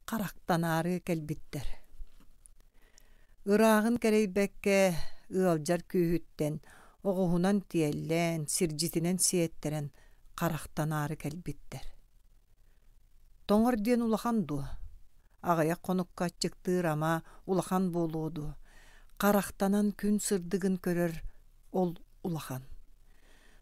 Харахтанаары кэлбиттэр. Ырааҕын кэрэйбэккэ ыалдьар күүһүттэн оҕуһунан тиэллэн, сирдьитинэн сиэттэрэн харахтанаары кэлбиттэр. Тоҥор диэн улахан дуо? Аҕыйах хонукка аччыктыыр ама улахан буолуо дуо? Харахтанан күн сырдыгын көрөр ол улахан.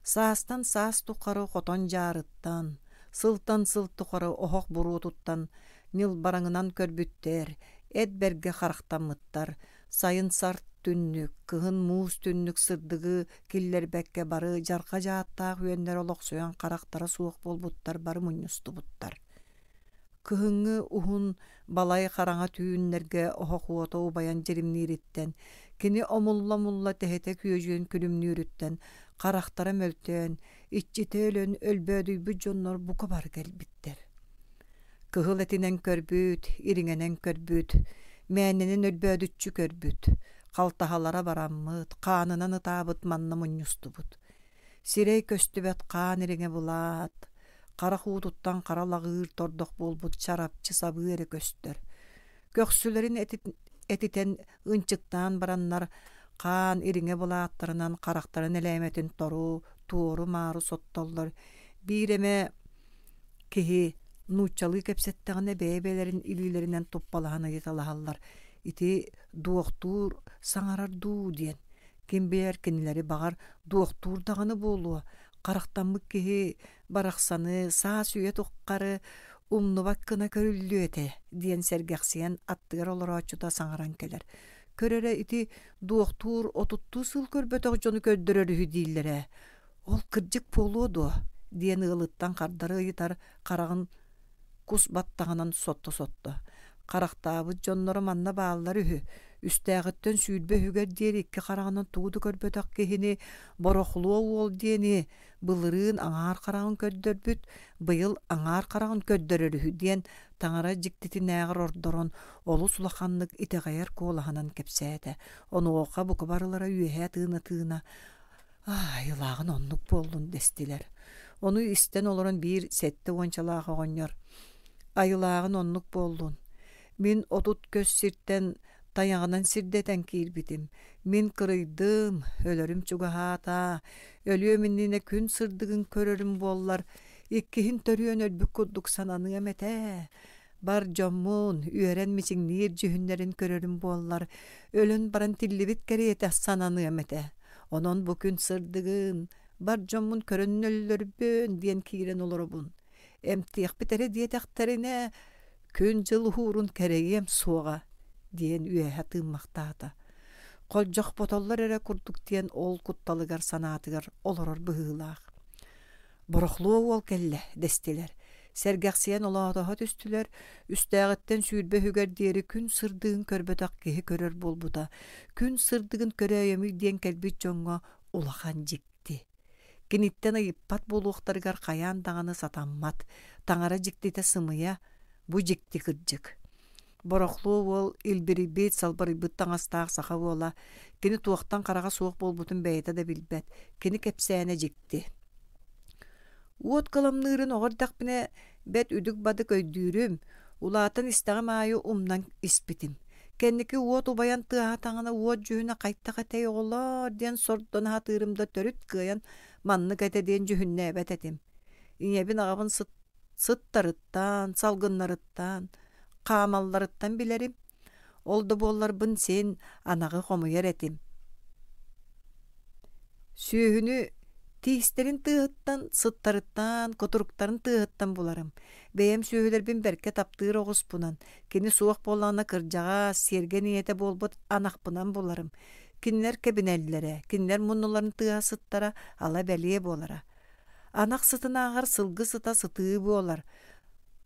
Саастан саас тухары хотон дьаарыттан, сылтан сыл тухары оһох буруотуттан ньылбараҥынан көрбүттэр, эт бэргэ харахтаммыттар, сайын сарт түннүк, кыһын муус түннүк сырдыгы киллэрбэккэ бары дьарҕа дьааттаах үөннэр олохсуйан харахтара суох буолбуттар бары мунньустубуттар. Кыһыҥҥы уһун балай хараҥа түүннэргэ оһох уота убайан дьиримниириттэн, кини омулла-омулла тэһитэ күөдьүйэн күлүмнүүрүттэн харахтара мөлтөөн, иччитэ өлөн өлбөөдүйбүт дьоннор бука бары кэлбиттэр. Кыһыл этинэн көрбүт, ириҥэнэн көрбүт, мээнэнэн өлбөөдүччү көрбүт, халтаһалара бараммыт, хаанынан ытаабыт манна мунньустубут. Сирэй көстүбэт хаан ириҥэ былаат, харах уутуттан хара лаҕыыр тордох буолбут чарапчы сабыы эрэ көстөр. Көхсүлэрин этитэн ынчыктаан бараннар хаан ириҥэ былааттарынан харахтарын элээмэтин тору, туору-маары соттоллор. Биир эмэ киһи нууччалыы кэпсэттэҕинэ бэйэ-бэйэлэрин илиилэринэн туппалаһан ыйыталаһаллар: «Ити дуохтуур саҥарар дуу?» диэн. Ким билэр кинилэри баҕар дуохтуур даҕаны буолуо, харахтаммыт киһи барахсаны саас үйэ тухары умнубат гына көрүллүө этэ диэн сэргэхсийэн аттыгар олорооччута саҥаран кэлэр. Көр эрэ ити дуохтуур отуттуу сыл көрбөтөх дьону көрдөрөр үһү дииллэрэ. Ол кырдьык буолуо дуо? диэн ыалыттан хардары ыйытар хараҕын кус баттаҕынан сотто-сотто. Харахтаабыт дьонноро манна бааллар үһү. Үстээҕиттэн 20 үһүгэр диэри икки хараҕынан тугу да көрбөтөх киһини Борохлуо уол диэни былырыын аҥаар хараҕын көрдөрбүт, быйыл аҥаар хараҕын көрдөрөр үһү диэн таҥара дьиктитинээҕэр ордорон олус улаханнык итэҕэйэр куолаһынан кэпсээтэ. Онуоха бука барылара үөһээ тыына-тыына «Айылааҕын оннук буоллун» дэстилэр. Ону истэн олорон биир сэттэ уончалаах оҕонньор «Айылааҕын оннук буоллун. Мин 30 көс сиртэн тайаҕынан сирдэтэн киирбитим. Мин кырыйдым, өлөрүм чугаһаата. Өлүөм иннинэ күн сырдыгын көрөрүм буоллар, иккиһин төрүөн өлбүт курдук сананыам этэ. Бар дьоммун, үөрэн мичиҥниир дьүһүннэрин көрөрүм буоллар, өлөн баран тиллибит кэриэтэ сананыам этэ. Онон бу күн сырдыгын, бар дьоммун көрөн өллөрбүн диэн киирэн олоробун. Эмтиэхпит эрэ диэтэхтэринэ, күн-дьыл уһуурун кэрэйиэм суоҕа диэн үөһэ тыыммахтаата. Холдьохпотоллор эрэ курдук диэн ол кутталыгар санаатыгар олорор быһыылаах. Борохлуо уол кэллэ дэстилэр. Сэргэхсийэн олоотоһо түстүлэр, үстээҕиттэн 20 үһүгэр диэри күн сырдыгын көрбөтөх киһи көрөр буолбута. Күн сырдыгын көрөөйөмүй диэн кэлбит дьоҥҥо улахан дьикти. Киниттэн ыйыппат буолуохтарыгар хайаан даҕаны сатаммат. Таҥара дьиктитэ сымыйа, бу дьикти кырдьык. Борохлуо уол илбирийбит, салбарыйбыт таҥастаах саха уола, кини туохтан хараҕа суох буолбутун бэйэтэ да билбэт, кини кэпсээнэ дьикти. Уот кыламныырын оҕо эрдэхпинэ бэрт үдүк-бадык өйдүүрүм, улаатан истэҕим аайы умнан испитим. Кэнники уот убайан тыаһаатаҕына уот дьүһүнэ хайдах этэй оҕолоор диэн сордоно сатыырым да төрүт кыайан маннык этэ диэн дьүһүннээбэт этим. Ийэбин аҕабын сыттарыттан, салгыннарыттан, хаамалларыттан билэрим. Ол да буолларбын син анаҕы хомуйар этим. Сүөһүнү тиистэрин тыаһыттан, сыттарыттан, кутуруктарын тыаһыттан буларым. Бэйэм сүөһүлэрбин бэркэ таптыыр оҕуспунан, кини суох буоллаҕына кырдьаҕас, сиэргэн ийэтэ буолбут анахпынан буларым. Кинилэр кэбинэллэрэ, кинилэр муннуларын тыаһа сыттара ала бэлиэ буолара. Анах сытынааҕар сылгы сыта сытыы буолар.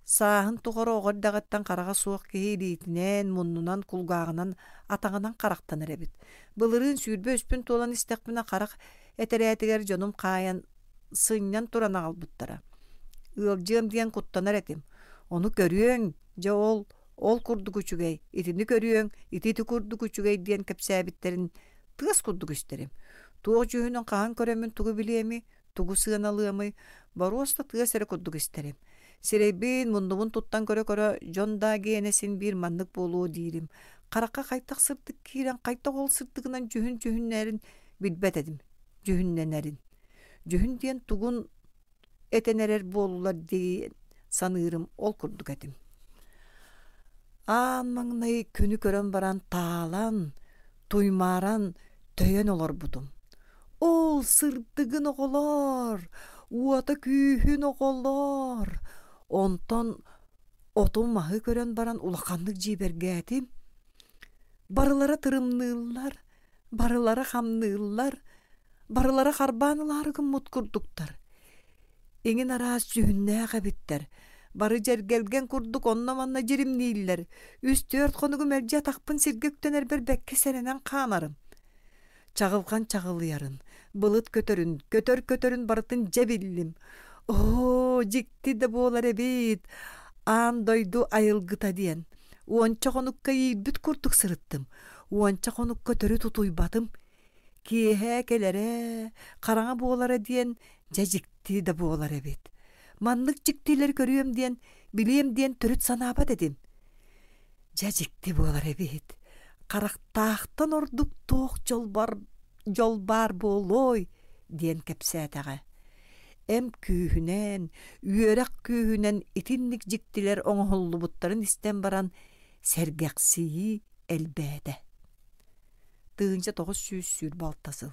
Сааһын тухары оҕо эрдэҕиттэн хараҕа суох киһи илиитинэн, муннунан, кулгааҕынан, атаҕынан харахтанар эбит. Былырыын 23-пүн туолан истэхпинэ харах этэрээтигэр дьонум хаайан сынньан туран аҕалбыттара. Ыалдьыам диэн куттанар этим. Ону көрүөҥ, дьэ ол, ол курдук үчүгэй, итини көрүөҥ, ити ити курдук үчүгэй диэн кэпсээбиттэрин тыас курдук истэрим. Туох дьүһүнүн хаһан көрөммүн тугу билиэмий, тугу сыаналыамый, боруоста тыас эрэ курдук истэрим. Сирэйбин, муннубун туттан көрө-көрө, дьон да гиэнэ син биир маннык буолуо диирим. Харахха хайдах сырдык киирэн, хайдах ол сырдыгынан дьүһүн дьүһүннэрин билбэт этим, дьүһүннэнэрин. Дьүһүн диэн тугун этэн эрэр буоллулар диэн саныырым ол курдук этим. Аан маҥнай күнү көрөн баран таалан, туймааран, төйөн олорбутум. Ол сырдыгын оҕолоор, уота күүһүн оҕолоор! Онтон оту-маһы көрөн баран улаханнык дьиибэргээтим. Барылара тырымныыллар, барылара хамныыллар, барылара харбаан ылаары гыммыт курдуктар. Иҥин араас дьүһүннээх эбиттэр. Бары дьэргэлгэн курдук онно-манна дьиримнииллэр. Үс-түөрт хонугу мэлдьи атахпын сиргэ үктэнэрбэр бэккэ сэрэнэн хаамарым. Чаҕылҕан чаҕылыйарын, былыт көтөрүн, көтөр көтөрүн барытын дьэ биллим. Оо, дьикти да буолар эбит, аан дойду айылгыта диэн. Уонча хонукка иирбит курдук сырыттым. Уонча хонукка төрүт утуйбатым. Киэһэ кэлэрэ, хараҥа буолара диэн дьэ дьикти да буолар эбит. Маннык дьиктилэри көрүөм диэн, билиэм диэн төрүт санаабат этим. Дьэ дьикти буолар эбит. Харахтаахтан ордук туох дьол бар, дьол баар буолуой диэн кэпсээтэҕэ. Эм күүһүнэн, үөрэх күүһүнэн итинник дьиктилэр оҥоһуллубуттарын истэн баран сэргэхсийии элбээтэ. 1926 сыл.